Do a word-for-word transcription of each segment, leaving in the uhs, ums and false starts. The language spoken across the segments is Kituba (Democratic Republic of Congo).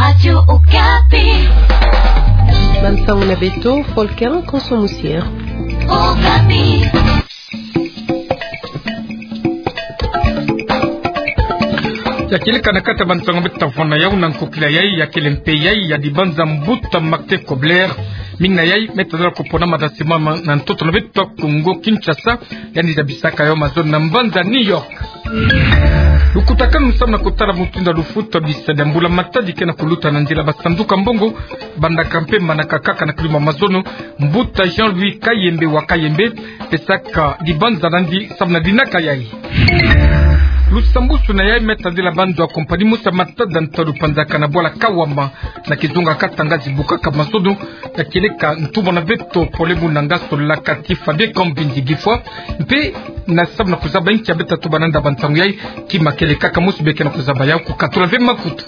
Radio Okapi. Bansango na beto, Volker Konso Musier. Okapi. Ya kieleka na kati ya bansango beto tafona yau na nkokila yai, ya kele mpe yai ya dibanza mbuta Martin Kobler. Mingi na yai me tadala kupona mada simama na ntoto na beto Kongo Kinshasa, yandi zabisaka yau mazono na mbanza New York. Lukutakanu samu na kutala mutindu ya lufuta bisadi ya mbula matadi kena kuluta na nzila basanduka mbongo, bandaka mpe manaka kaka na kilumbu ya mazono, mbuta Jean-Louis Kayembe wa Kayembe pesaka dibanza na yandi samu na dinaka yai. Lusambusu na yai me tadila banzo ya kompani Musa Matada ntalu panzaka na bwala Kawama na kizunga Katanga zibukaka mazono, ya kieleka ntumwa na beto Paul-e Muna Ngaso Lakati Fabien Kambindi Gifwa, mpe na samu na kuzaba inki ya beto tatuba na nda bansango yai, kima kele kaka mosi beke na kuzaba yau, kukatula ve makutu.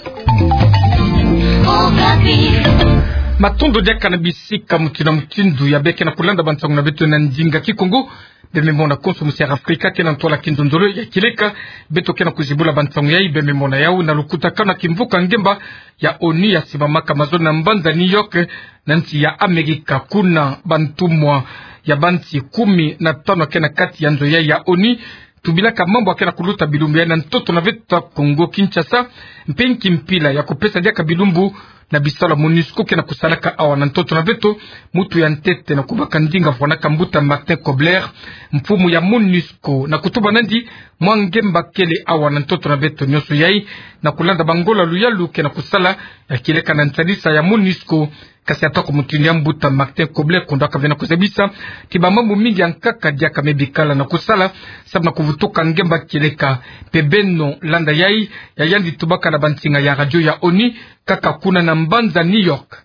Matondo diaka na bisika mutindu na mutindu ya beke na kulanda bansango na beto na ndinga Kikongo. Bembe mona konso musi ya Afrika kena ntwala kinzonzolo, ya kieleka beto kena kuzibula bansango yai, bembe mona yau na lukutakanu na kimvuka ngemba ya ONU ya simamaka mazono na mbanza New York, na nsi ya Amerika. Kuna bantumwa ya bansi kumi na tanu kena kati ya nzo yai ya ONU tubilaka mambu ya kena kuluta bilumbu yai na ntoto na beto Kongo Kinshasa, mpe nki mpila ya kupesa diaka bilumbu na bisalu ya MONUSCO kena kusalaka awa na ntoto na beto. Mutu ya ntete na kubaka ndinga vwanaka mbuta Martin Kobler, mfumu ya MONUSCO, na kutuba na yandi mwa ngemba kele awa na ntoto na beto nyonso yai, na kulanda bangola luyalu kena kusala, ya kieleka na nsalisa ya MONUSCO. Kasi atako mutindu ya mbuta Martin Kobler, kundwaka ve na kuzabisa ti bamambu mingi ya nkaka diaka me bikala na kusala samu na kuvutuka ngemba kieleka. Mpe beno landa yai, ya yandi tubaka na bansinga ya radio ya ONU, kaka kuna na mbanza New York.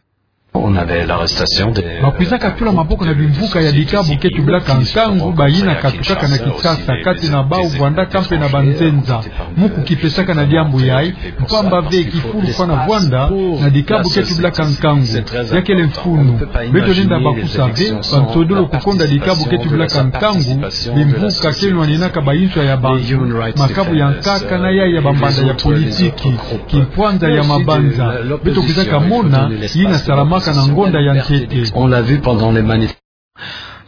On avait l'arrestation des, euh, bakwizaka tula maboko na bimvuka ya dikabu ke tubilaka nkangu, bayina katukaka na Kinshasa, kati na bau vwandaka mpe na banzenza. Muku kipesaka na diambu yai, mpamba ve kifulu fwa na vwanda na dikabu ke tubilaka nkangu. Ya kele mfunu. Beto lenda bakusa ve, bansodolo kukonda dikabu ke tubilaka nkangu, bimvuka ke nwaninaka bayinswa ya bantu, makabu ya nkaka na yai ya bambanda ya politiki, kimpwanza ya mabanza. Beto kwizaka mona yina salamaka na ngonda ya ntete. On l'a vu pendant les manif-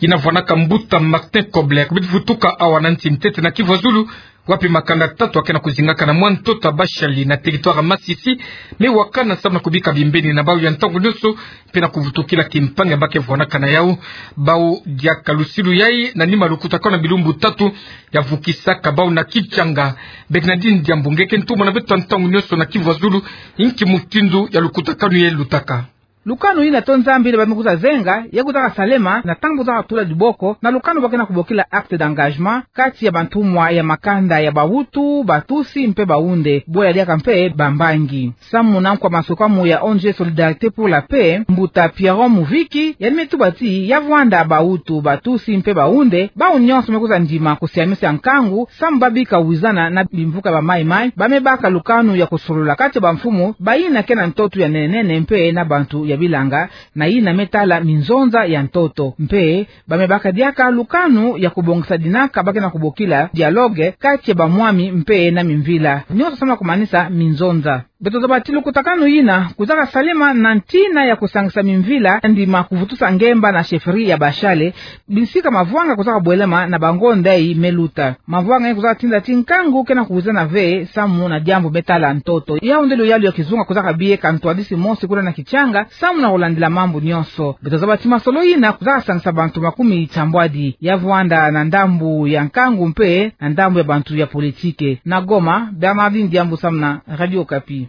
Yina vwanaka mbuta Martin Kobler. Beto vutuka awa na nsi ntete na Kivu ya Zulu, wapi makanda tatu ya kena kuzingaka na mwa ntoto ya bashali na territoire ya Masisi me wakana samu na kubika bimbeni na bau ya ntangu nyonso, mpe na kuvutukila kimpangi ya ba ke vwanaka na yau. Bau diaka lusilu yai na nima lukutakanu na bilumbu tatu ya vukisaka bau na Kinshasa. Bernardine Diambu, nge ke ntumwa na beto ya ntangu nyonso na Kivu ya Zulu, inki mutindu ya lukutakanu yai lutaka? Lukanu yina to Nzambi yina ba me kwiza zenga, ya kwizaka salema na ntangu ba kwizaka tula diboko na lukanu ba kena kubokila acte d'engagement kati ya bantumwa ya makanda ya Bahutu, Batutsi mpe Bahunde, bola diaka mpe Bambangi. Samu na nkwa masukamu ya O N G Solidarité pour la Paix, mbuta Pierrot Muviki, yandi me tuba ti ya vwanda Bahutu, Batutsi mpe Bahunde, bau nyonso me kwiza ndima kusiamisa nkangu, samu ba bika wizana na bimvuka ba Mai Mai, ba me baka lukanu ya kusolola kati ya bamfumu, bayina ke na ntoto ya nene nene mpe na bantu ya bilanga, na yina me tala minzonza ya ntoto. Mpe ba me baka diaka lukanu ya kubongisa dinaka ba kena kubokila dialogue kati ya bamwami mpe na mimvila. Nyonso samu na kumanisa minzonza. Beto zaba ti lukutakanu yina kwizaka salema na ntina ya kusangisa mimvila, ndima kuvutusa ngemba na chefferie ya bashali, bisika mavwanga kwizaka bwelema na bangonda yi me luta. Mavwanga yi kwizaka tinda ti nkangu kena kuwizana ve samu na diambu me tala ntoto. Yau nde luyalu ya kizunga kwizaka bie ka ntwadisi mosi kuna na Kinshasa, samu na kulandila mambu nyonso. Beto zaba ti masolo yina kwizaka sangisa bantu makumi tambwadi. Ya vwanda na ndambu ya nkangu mpe na ndambu ya bantu ya politiki. Na Goma, Bernardine Diambu samu na Radio Okapi.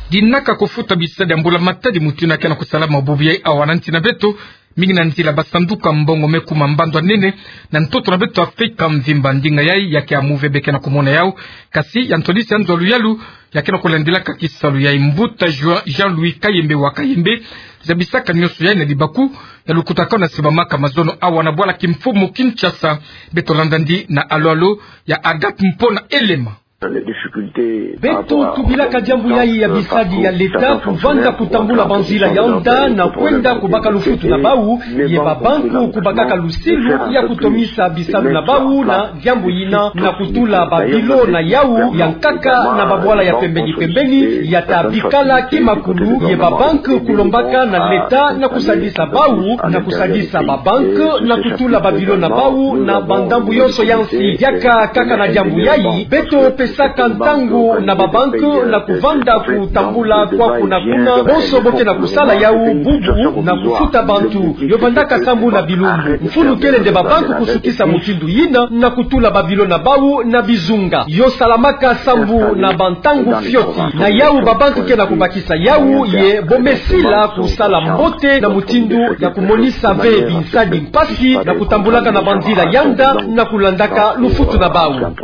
Dinaka kufuta bisadi ya mbula matadi mutindu ya kena kusalama bubu yai awa na nsi na beto, mingi na nzila basanduka mbongo me kuma mbandu ya nene na ntoto na beto Afrika mvimba. Ndinga yai ya ke amu ve beke na kumona yau, kasi ya ntwadisi ya nzo ya luyalu ya kena kulandilaka kisalu yai, mbuta Jean-, Jean-Louis Kayembe wa Kayembe, zabisaka nyonso yai na libaku ya lukutakanu na simamaka mazono awa na bwala kimfumu Kinshasa. Beto landa yandi na alo-alo ya Agathe Mpona Elema. Beto tubilaka diambu yayi ya bisadi ya leta, kuvanda kutambula banzila yanda na kwenda kubaka lufutu na bau, ye babanque kubakaka lusilu ya kutomisa bisalu na bau na diambu yina, na kutula babilo na yau ya nkaka na babwala ya pembeni-pembeni, ya ta bikala kimakulu, ye babanque kulombaka na leta na kusadisa bau, na kusadisa babanque na kutula babilo na bau na bandambu yonso ya nsi. Diaka kaka na diambu yayi, beto pesaka ntangu na babanque na kuvanda kutambula kwaku na kuna, bonso bo ke na kusala yau bubu na kufuta bantu. Yo vandaka sambu na bilumbu. Mfunu kele nde babanque kusukisa mutindu yina na kutula babilo na bau na bizunga. Yo salamaka sambu na bantangu fioti. Na yau babanque ke na kubakisa yau, ye bo me sila kusala mbote na mutindu ya kumonisa ve binsadi mpasi na kutambulaka na banzila yanda na kulandaka lufutu na bau.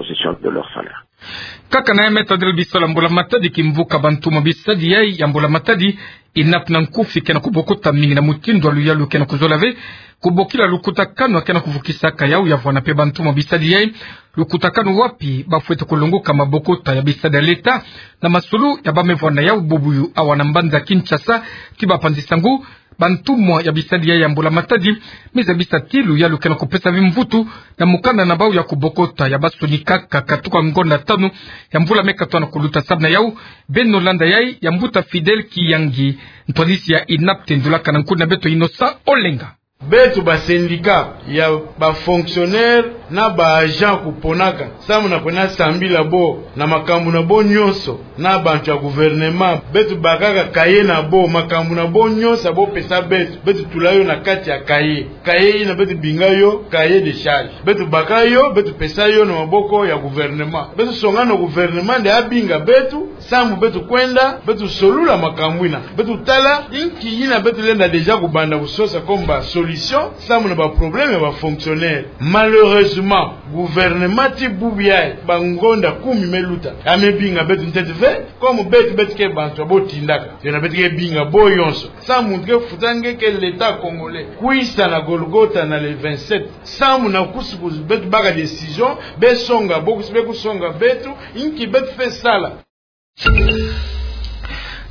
Kaka na ya me tadila bisalu ya mbula matadi, kimvuka bantumwa bisadi yayi ya mbula matadi, INAP na nkufi ke na kubokota mingi na mutindu ya luyalu ke na kuzola ve kubokila lukutakanu ya ke na kuvukisaka yau ya vwanda mpe bantumwa bisadi yayi. Lukutakanu wapi ba fwete kulongoka mabokota ya bisadi ya leta na masulu ya ba me vwanda yau bubu yu awa na mbanza Kinshasa, ti bapanzi-nsangu. Bantumwa ya bisadi yayi ya mbula matadi me zabisa ti luyalu ke na kupesa ve mvutu na mukanda na bau ya kubokota ya ba sonikaka katuka ngonda tanu ya mvula me katono kuluta. Samu na yau, beno landa yayi ya mbuta Fidèle Kiyangi, ntwadisi ya INAP, tendulaka na nkundi na beto Innocent Olenga. Beto ba syndicat ya ba fonctionnaire na ba agent kuponaka, samu na kwenda sambila bo na makambu na bo nyonso na bantu ya gouvernement. Beto bakaka cahier na bo, makambu na bo nyonso ya bo pesa beto, beto tula yo na kati ya cahier. Cahier yina beto binga yo cahier de charge. Beto baka yo, beto pesa yo na maboko ya gouvernement. Beto songa na gouvernement nde abinga beto, samu beto kwenda, beto solula makambu yina. Beto tala inki yina beto lenda déjà kubanda kusosa comme ba solution, samu na ba problème ya ba fonctionnaire. Malheureusement, gouvernement ti bubu yayi, ba ngonda kumi me luta, ya me binga beto ntete ve, comme beto, beto ke bantu ya bo tindaka. Yo na beto ke binga bo yonso. Samu muntu ke futa nge ke l'État congolais. Kwisa na Golgotha na le vingt-sept. Samu na kusu kusu beto baka décision, be songa bo, kusu be kusonga beto, inki beto fwe sala.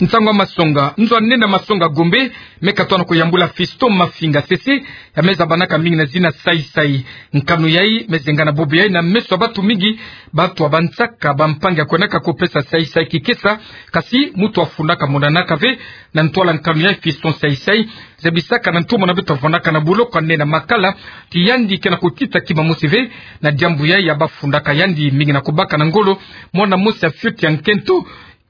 Nsangu ya masonga. Nzo ya nene ya masonga Gombe, me katono kuyambula Fiston Mafinga Sese, ya me zabanaka mingi na zina Sai Sai. Nkanu yayi me zengana bubu yayi na meso ya bantu mingi, bantu ya bansaka, bampangi ya kwendaka kupesa Sai Sai kikesa, kasi muntu ya fundaka monanaka ve na ntwala nkanu yayi. Fiston Sai Sai zabisaka na ntumwa na beto ya vwandaka na buloko ya nene ya Makala ti yandi ke na kutita kima mosi ve na diambu yayi ya ba fundaka yandi mingi na kubaka na ngolo mwana mosi ya fioti ya nkento,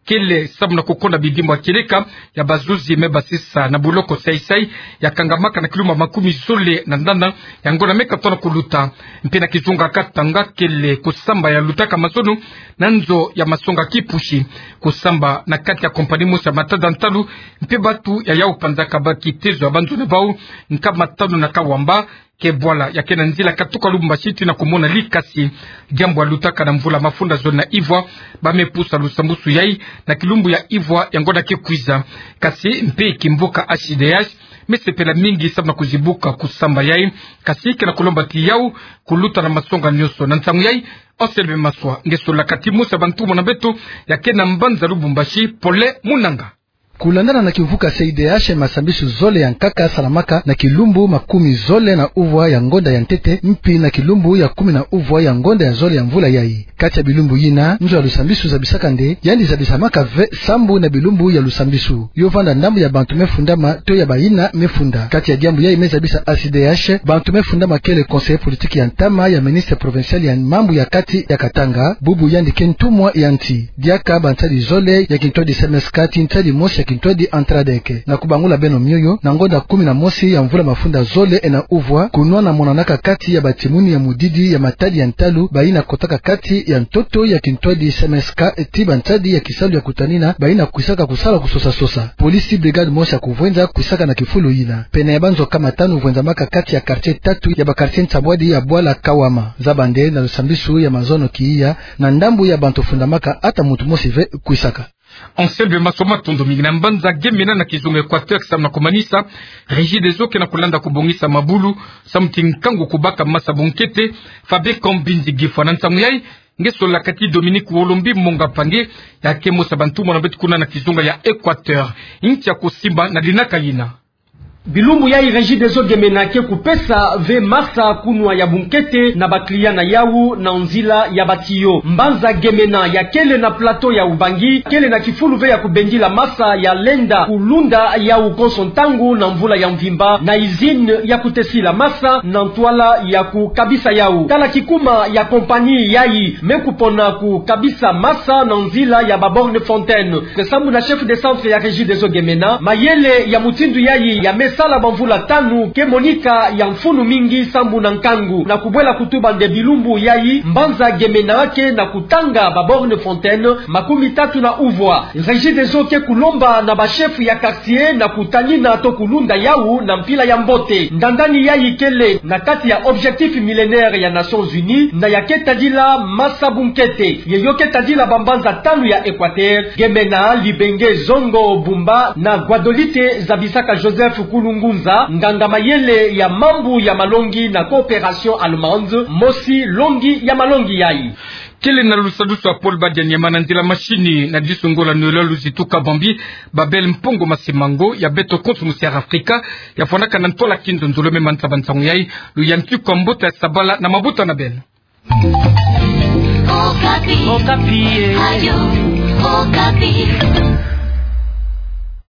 kele samu na kukonda bidimbu ya kieleka ya bazuzi me basisa na buloko Sai Sai, ya kangamaka na kilumbu ya makumi zole na ndanda ya ngonda me katono kuluta. Mpe na kizunga Katanga, kele kusamba ya lutaka mazono na nzo ya masonga Kipushi, kusamba na kati ya compagnie mosi ya matada ntalu, mpe bantu ya yau panzaka ba kitezo ya banzo na bau, nkama tanu na Kawamba, ke bwala ya ke na nzila katuka Lubumbashi tii na kumona likasi. Diambu ya lutaka na mvula mafunda zole na ivwa, ba me pusa lusambusu yayi na kilumbu ya ivwa ya ngonda ke kwiza. Kasi mpe kimvuka H D H me sepela mingi samu na kuzibuka kusamba yayi, kasi ke na kulomba ti yau kuluta na masonga nyonso. Na nsangu yayi, Anselme Maswa, nge solaka ti mosi ya bantumwa na beto ya ke na mbanza Lubumbashi, Pole Munanga. Kulandana na kimvuka C I D H, masambisu zole ya nkaka salamaka na kilumbu makumi zole na uvwa ya ngonda ya ntete, mpi na kilumbu ya kumi na uvwa ya ngonda ya zole ya mvula yayi. Kati ya bilumbu yina, nzo ya lusambisu zabisaka nde yandi zabisamaka ve sambu na bilumbu ya lusambisu. Yo vanda ndambu ya bantu me fundama to ya bayina me funda. Kati ya diambu yayi me zabisa A C D H, bantu me fundama kele conseiller politique ya ntama ya ministre provincial ya mambu ya kati ya Katanga, bubu yandi ke ntumwa ya nsi. Diaka bansadi zole ya kintwadi C M S K tii nsadi mosi ya kintwadi Antradec. Na kubangula beno mioyo, na ngonda kumi na mosi ya mvula mafunda zole na uvwa, kunwana monanaka kati ya batimuni ya mudidi ya matadi ya ntalu, bayina kotaka kati ya ntoto ya kintwadi C M S K tii bansadi ya kisalu ya kutanina, bayina kwisaka kusala kusosa-sosa. Police brigade mosi ya kuvwenza kwisaka na kifulu yina. Pene ya banzo kama tanu vwenzamaka kati ya quartier tatu ya ba quartier nsambwadi ya bwala Kawama. Zaba nde na lusambisu ya mazono kiya, na ndambu ya bantu fundamaka, ata muntu mosi ve kwisaka. Anselme Maswa, matondo mingi. Na mbanza Gemena na kizunga Equateur, samu na kumanisa, Regideso ke na kulanda kubongisa mabulu, samu ti nkangu kubaka masa bunkete, Fabien Kambinzi Gifwa. Na nsangu yayi, Ngeso la kati Dominique Wolombi Monga Pange, ya ke mosi ya bantu mona beto kuna na kizunga ya Équateur. Ntia kusimba na dinaka yina. Bilumbu yayi Regideso Gemena ke kupesa ve masa kunwa ya bunkete na ba client na yawu na nzila ya ba tuyau. Mbanza Gemena ya kele na plateau ya Ubangi, kele na kifulu ve ya kubendila masa ya lenda kulunda yawu konso ntangu na mvula ya mvimba, na usine ya kutesila masa na ntwala ya kukabisa yawu. Tala kikuma ya compagnie yayi me kupona kukabisa masa na nzila ya ba borne fontaine. Ke sambu na chef de centre ya Regideso Gemena, mayele ya mutindu yayi ya me sala bamvula tanu ke monika ya mfunu mingi sambu na nkangu. Na kubwela kutuba nde bilumbu yayi, mbanza Gemena ke na kutanga ba borne fontaine makumi tatu na uvwa. Regideso ke kulomba na ba chef ya quartier na kutanina to kulunda yawu na mpila ya mbote. Ndandani yayi kele na kati ya objectif millénaire ya Nations Unies, na ya ke tadila masa bunkete. Ye yo ke tadila bambanza tanu ya Équateur: Gemena, Libenge, Zongo, Bumba, na Guadolite, zabisaka Joseph Kulungunza, nganga mayele ya mambu ya malongi na Coopération Allemande, mosi longi ya malongi yayi. Kele na lusadusu ya Paul Badianyama na nzila machine, na disu Ngola Noël Luzitu Kabambi, Babel Mpongo Masimango, ya beto konso musi ya Afrika, ya fwanaka na ntwala kinzonzolo. Me manza ba nsangu yayi, luyantiku ya mbuta ya sabala na mabuta na beno. Okapi. Okapi, eh. Radio Okapi.